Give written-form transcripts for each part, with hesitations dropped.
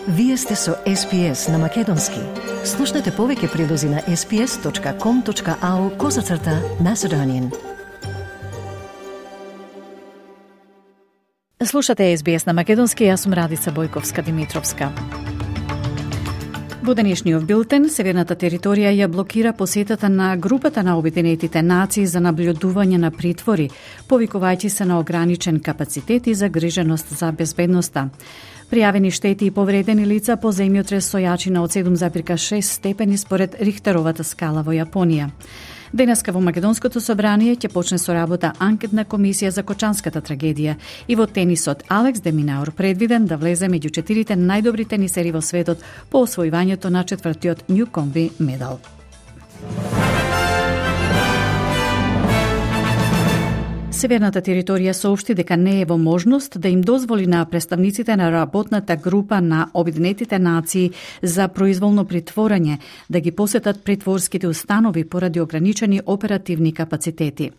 Вие сте со SPS на Македонски. Слушнете повеќе прилози на sps.com.au/Macedonian. Слушате SBS на Македонски, јас сум Радица Бојковска-Димитровска. Во денешниот билтен, северната територија ја блокира посетата на групата на Обединетите нации за наблюдување на притвори, повикувајќи се на ограничен капацитет и загриженост за безбедноста. Пријавени штети и повредени лица по земјотрес со јачина од 7,6 степени според Рихтеровата скала во Јапонија. Денеска во Македонското собрание ќе почне со работа анкетна комисија за Кочанската трагедија и во тенисот Алекс де Минаур предвиден да влезе меѓу 4 најдобри тенисери во светот по освојувањето на 4-тиот Ньюкомби медал. Северната територија соопшти дека не е во можност да им дозволи на представниците на работната група на Обединетите нации за произволно притворање да ги посетат притворските установи поради ограничени оперативни капацитети.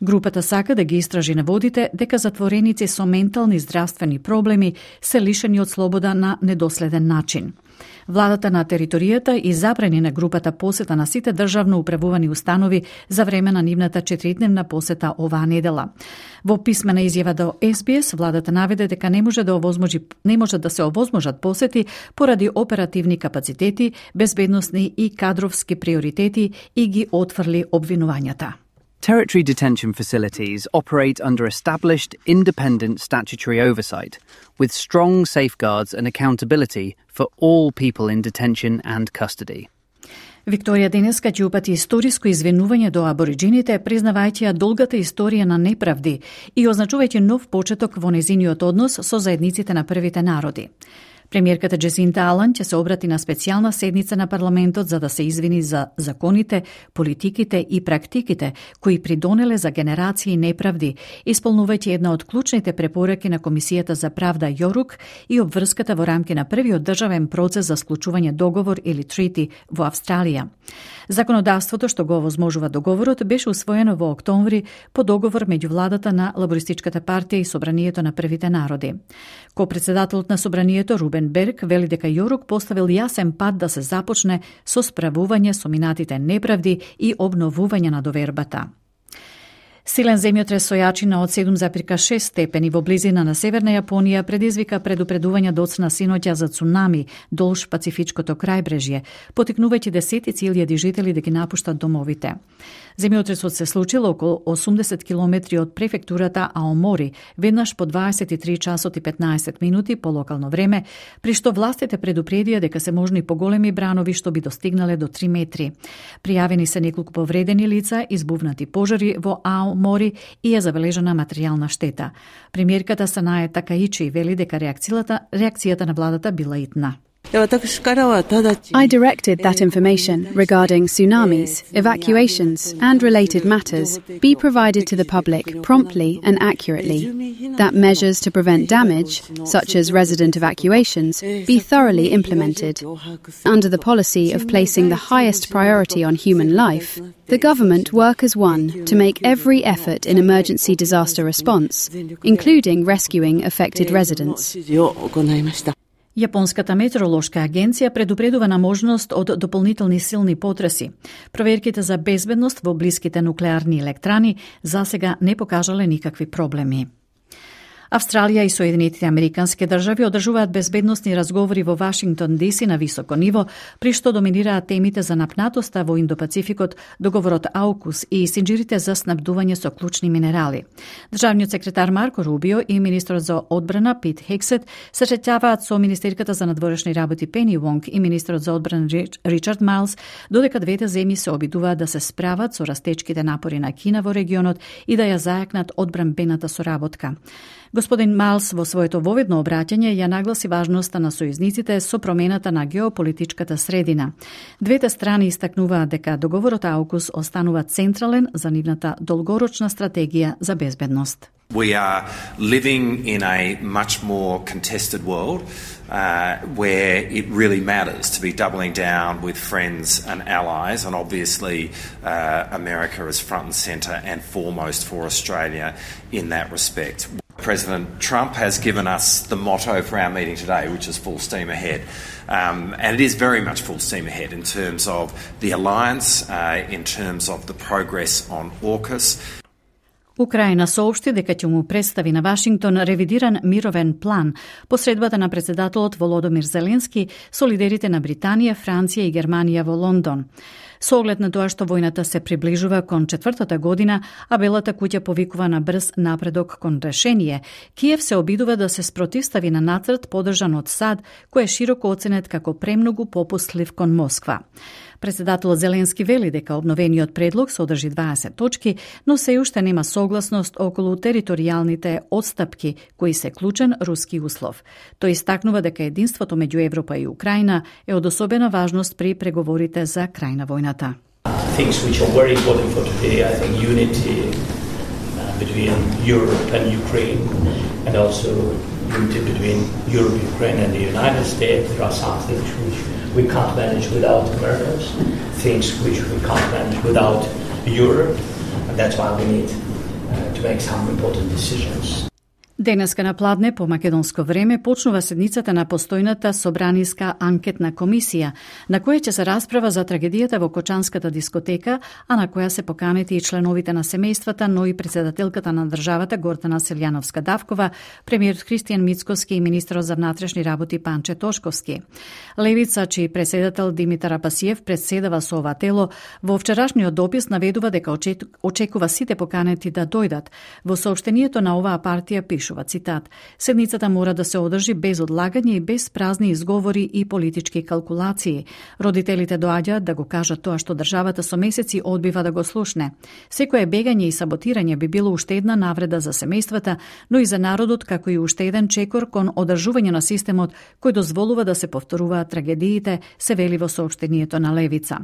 Групата сака да ги истражи наводите дека затвореници со ментални здравствени проблеми се лишени од слобода на недоследен начин. Владата на територијата и забрани на групата посета на сите државно управувани установи за време на нивната 4-дневна посета оваа недела. Во писмена изјава до SBS, владата наведе дека не може да се овозможат посети поради оперативни капацитети, безбедносни и кадровски приоритети и ги отфрли обвинувањата. Territory detention facilities operate under established independent statutory oversight, with strong safeguards and accountability for all people in detention and custody. Викторија денеска ќе упати историско извинување до абориџините, признавајќи ја долгата историја на неправди и означувајќи нов почеток во незиниот однос со заедниците на првите народи. Премиерката Джесинта Алан ќе се обрати на специјална седница на парламентот за да се извини за законите, политиките и практиките кои придонеле за генерации неправди, исполнувајќи една од клучните препораки на Комисијата за правда Јорук и обврската во рамки на првиот државен процес за склучување договор или treaty во Австралија. Законодавството што го овозможува договорот беше усвоено во октомври по договор меѓу владата на Лабористичката партија и Собранието на првите народи. Ко-председателот на Собранието Рубен Берг вели дека Јорук поставил јасен пат да се започне со справување со минатите неправди и обновување на довербата. Силен земјотрес со јачина од 7,6 степени во близина на Северна Јапонија предизвика предупредување доцна синоќа за цунами долж Пацифичкото крајбрежје, потикнувајќи десетици илјади жители да ги напуштат домовите. Земјотресот се случил околу 80 километри од префектурата Аомори, веднаш по 23 часот и 15 минути по локално време, при што властите предупредија дека се можни поголеми бранови што би достигнале до 3 метри. Пријавени се неколку повредени лица, избувнати пожари во Аомори и е забележана материјална штета. Премиерката Санае Такаичи вели дека реакцијата на владата била итна. I directed that information regarding tsunamis, evacuations, and related matters be provided to the public promptly and accurately, that measures to prevent damage, such as resident evacuations, be thoroughly implemented. Under the policy of placing the highest priority on human life, the government work as one to make every effort in emergency disaster response, including rescuing affected residents. Јапонската метеоролошка агенција предупредува на можност од дополнителни силни потреси. Проверките за безбедност во блиските нуклеарни електрани засега не покажале никакви проблеми. Австралија и Соединетите Американски држави одржуваат безбедносни разговори во Вашингтон ДС на високо ниво, при што доминираат темите за напнатоста во Индопацификот, договорот AUKUS и синџирите за снабдување со клучни минерали. Државниот секретар Марко Рубио и министрот за одбрана Пит Хексет се среќаваат со министерката за надворешни работи Пени Вонг и министрот за одбрана Ричард Майлс, додека двете земји се обидуваат да се справат со растечките напори на Кина во регионот и да ја зајакнат одбранбената соработка. Господин Майлс во своето воведно обраќање ја нагласи важноста на сојузниците со промената на геополитичката средина. Двете страни истакнуваат дека договорот AUKUS останува централен за нивната долгорочна стратегија за безбедност. We are living in a much more contested world where it really matters to be doubling down with friends and allies, and obviously America is front and centre and foremost for Australia in that respect. President Trump has given us the motto for our meeting today, which is full steam ahead. And it is very much full steam ahead in terms of the alliance, in terms of the progress on AUKUS. Украина соопшти дека ќе му представи на Вашингтон ревидиран мировен план посредбата на претседателот Володомир Зеленски со лидерите на Британија, Франција и Германија во Лондон. Со оглед на тоа што војната се приближува кон 4-та година, а Белата куќа повикува на брз напредок кон решение, Киев се обидува да се спротивстави на нацрт подржан од САД, кој е широко оценет како премногу попустлив кон Москва. Председателот Зеленски вели дека обновениот предлог содржи 20 точки, но се уште нема согласност околу територијалните отстапки, кои се клучен руски услов. Тој истакнува дека единството меѓу Европа и Украина е од особена важност при преговорите за крај на војната. Things which are very important for today, I think unity between Europe and Ukraine, and also unity between Europe, Ukraine and the United States. There are some things which we can't manage without Americans, things which we can't manage without Europe, and that's why we need to make some important decisions. Денеска на Пладне по македонско време почнува седницата на постојната собраниска анкетна комисија, на која ќе се расправа за трагедијата во Кочанската дискотека, а на која се поканети и членовите на семејствата, но и председателката на државата Гордана Селјановска-Давкова, премиерот Христијан Мицкоски и министерот за внатрешни работи Панче Тошковски. Левица, чиј председател Димитар Апасиев председава со ова тело, во вчерашниот допис наведува дека очекува сите поканети да дојдат. Во соопштението на оваа партија пишува цитат: "Седницата мора да се одржи без одлагање и без празни изговори и политички калкулации. Родителите доаѓаат да го кажат тоа што државата со месеци одбива да го слушне. Секое бегање и саботирање би било уште една навреда за семејствата, но и за народот, како и уште еден чекор кон одржување на системот кој дозволува да се повторуваат трагедиите", се вели во соопштението на Левица.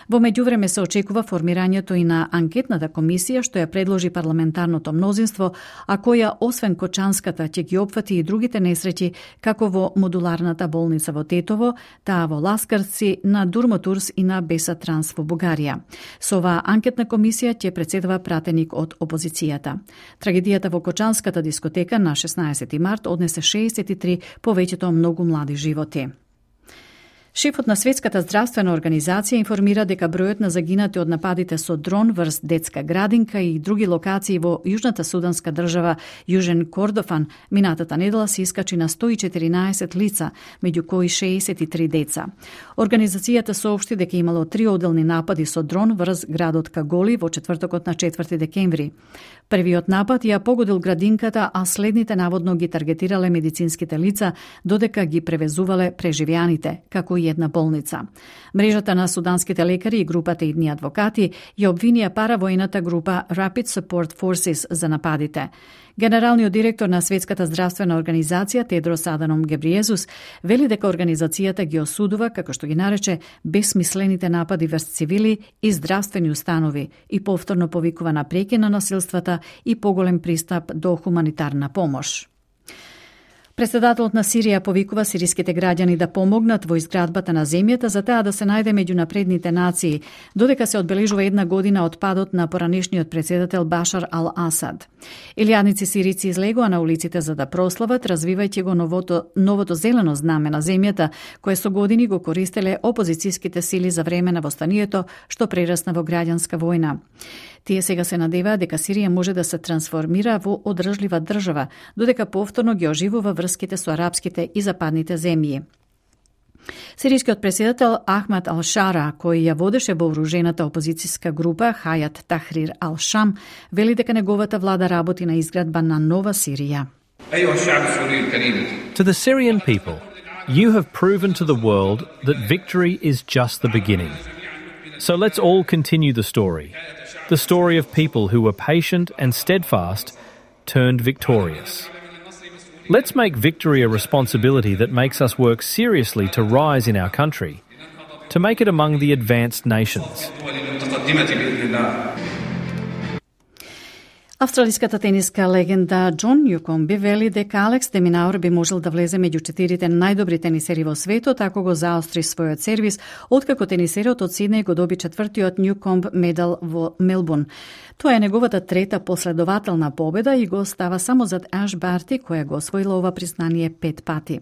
Во меѓувреме се очекува формирањето и на анкетната комисија што ја предложи парламентарното мнозинство, а која освен Кочанската ќе ги опфати и другите несреќи, како во модуларната болница во Тетово, таа во Ласкарци, на Дурмотурс и на Беса Транс во Бугарија. Со оваа анкетна комисија ќе председава пратеник од опозицијата. Трагедијата во Кочанската дискотека на 16 март однесе 63 повеќето многу млади животи. Шефот на Светската здравствена организација информира дека бројот на загинати од нападите со дрон врз детска градинка и други локации во јужната суданска држава Јужен Кордофан минатата недела се искачи на 114 лица, меѓу кои 63 деца. Организацијата соопшти дека имало 3 одделни напади со дрон врз градот Каголи во четвртокот на 4 декември. Првиот напад ја погодил градинката, а следните наводно ги таргетирале медицинските лица, додека ги превезувале преживеаните, како и една болница. Мрежата на суданските лекари и групата идни адвокати ја обвинија паравојната група Rapid Support Forces за нападите. Генералниот директор на Светската здравствена организација Тедрос Аданом Гебриезус вели дека организацијата ги осудува, како што ги нарече, бесмислените напади врз цивили и здравствени установи и повторно повикува на прекин на насилствата и поголем пристап до хуманитарна помош. Председателот на Сирија повикува сириските граѓани да помогнат во изградбата на земјата за таа да се најде меѓу напредните нации, додека се одбележува една година од падот на поранешниот председател Башар ал-Асад. Илјадници сирици излегоа на улиците за да прослават, развивајќи го новото зелено знаме на земјата, кое со години го користеле опозицијските сили за време на востанието, што прерасна во граѓанска војна. Тие сега се надеваат дека Сирија може да се трансформира во одржлива држава, додека повторно ги оживува врските со арапските и западните земји. Сирискиот председател Ахмад ал-Шара, кој ја водеше вооружената опозицијска група Хајат Тахрир ал-Шам, вели дека неговата влада работи на изградба на нова Сирија. To the Syrian people, you have proven to the world that victory is just the beginning. So let's all continue the story of people who were patient and steadfast turned victorious. Let's make victory a responsibility that makes us work seriously to rise in our country, to make it among the advanced nations. Австралиската тениска легенда Џон Њукомби вели дека Алекс де Минаур би можел да влезе меѓу 4 најдобри тенисери во светот ако го заостри својот сервис, откако тенисерот од Сиднеј го доби 4-тиот Њукомб медал во Мелбурн. Тоа е неговата трета последователна победа и го става само зад Аш Барти, која го освоила ова признание 5 пати.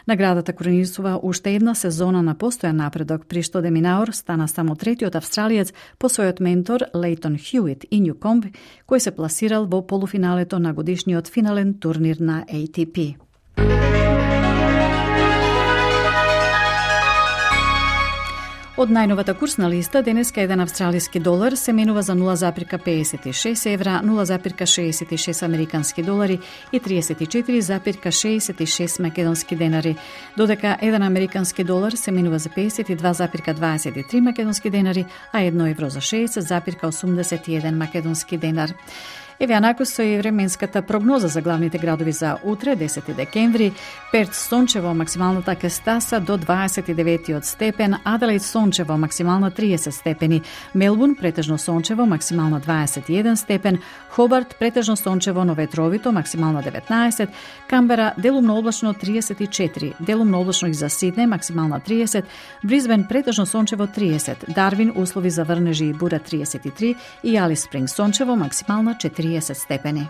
Наградата коронисува уште една сезона на постојан напредок, при што де Минаур стана само третиот австралиец по својот ментор Лейтон Хјуит и Њукомб, кој се пласирал во полуфиналето на годишниот финален турнир на ATP. Од најновата курсна листа, денеска еден австралиски долар се менува за 0,56 евра, 0,66 американски долари и 34,66 македонски денари, додека еден американски долар се менува за 52,23 македонски денари, а 1 евро за 60,81 македонски денар. Еве анакусо и временската прогноза за главните градови за утре, 10 декември. Перт сончево, максималната кестаса до 29 степен, Аделаид сончево, максимална 30 степени, Мелбурн претежно сончево, максимална 21 степен, Хобарт претежно сончево, но ветровито, максимална 19, Камбера делумно облачно 34, делумно облачно и за Сиднеј, максимална 30, Бризбен претежно сончево 30, Дарвин услови за врнежи и бура 33 и Алис Спринг сончево, максимална 40 степени.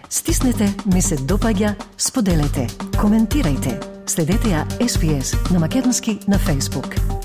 Стиснете, ми се допаѓа, споделете, коментирајте. Следете ја SPS на Македонски на Facebook.